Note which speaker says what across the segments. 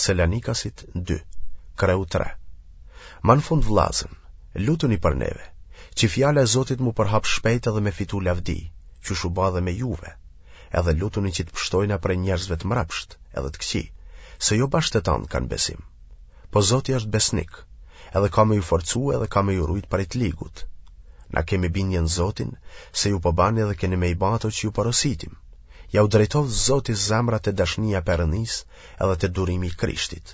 Speaker 1: Selanikasit 2, kreu 3. Ma në fund vllazën, lutuni për neve, që fjala e Zotit m'u përhap shpejt edhe me fitu lavdi, qysh u ba edhe me juve, edhe lutuni që të pshtojna prej njerëzve të mrapsht edhe të këqij, se jo bash të tanë kanë besim. Po Zoti është besnik, edhe ka me ju forcu edhe ka me ju rujt prej të ligut. Na kemi bindje në Zotin, se ju po bani edhe keni me i ba ato që ju porositim. Jau drejtoftë Zoti zemrat te dashnia e Perëndisë edhe te durimi i Krishtit.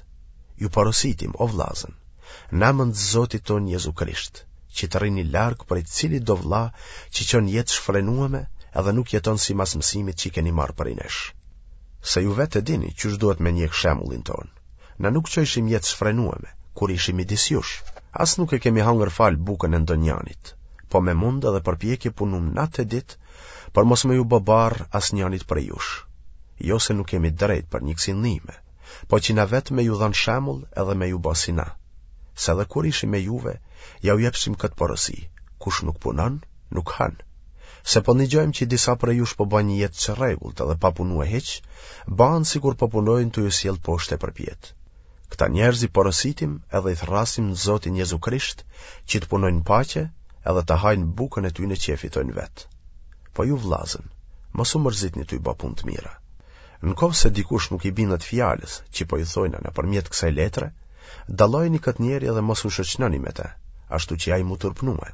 Speaker 1: Ju porositim, o vllazën, n'emën të Zotit tonë Jezu Krisht, që të rrini larg prej cilitdo vlla që çon jetë shfrenueme edhe nuk jeton simas mësimit që keni marrë prej nesh. Se ju vetë e dini qysh duhet me njek shembullin tonë. Na nuk çojshim jetë shfrenueme, kur ishim midis jush. As nuk e kemi hangër falë bukën e ndonjanit, po me mund edhe përpjekje punum natë e ditë për mos me ju bë barrë asnjanit prej jush. Jo se nuk kemi drejt për një kësi ndihme, po që na vetë me ju dhanë shembull edhe me ju bë si na. Se edhe kur ishim me juve, jau jepshim këtë porosi, kush nuk punon, nuk han. Se po nigjojmë që disa prej jush po bajnë një jetë të çrregullt edhe pa punue hiç, bahen sikur po punojnë tu ju sjellë poshtë e përpjetë. Këta njerëz i porositim edhe i thërrasim në Zotin Jezu Krisht që të punojnë në paqe edhe të hajnë bukën e tyne që e fitojnë vetë. Po ju vllazën, mos u mërzitni tuj ba punë të mira. Në qoftë se dikush nuk i bindet fjalës që po ju thojna nëpërmjet kësaj letre, dallojeni këtë njeri edhe mos u shoqnoni me të, ashtu që ai m'u turpnue.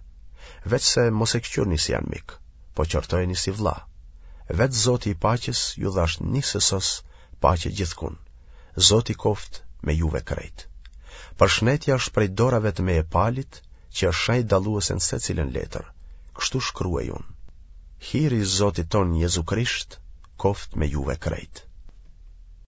Speaker 1: Veçse mos e këqyrni si anmik, po qortojeni si vlla. Vetë Zoti i paqes ju dhashtë njësësos paqe gjithkund. Zoti koftë me juve krejt. Përshnetja është prej dorave të meje Palit, që është shenjë dalluese në secilën letër. Kështu shkruaj unë. Hiri i Zotit tonë Jezu Krisht koftë me juve krejt.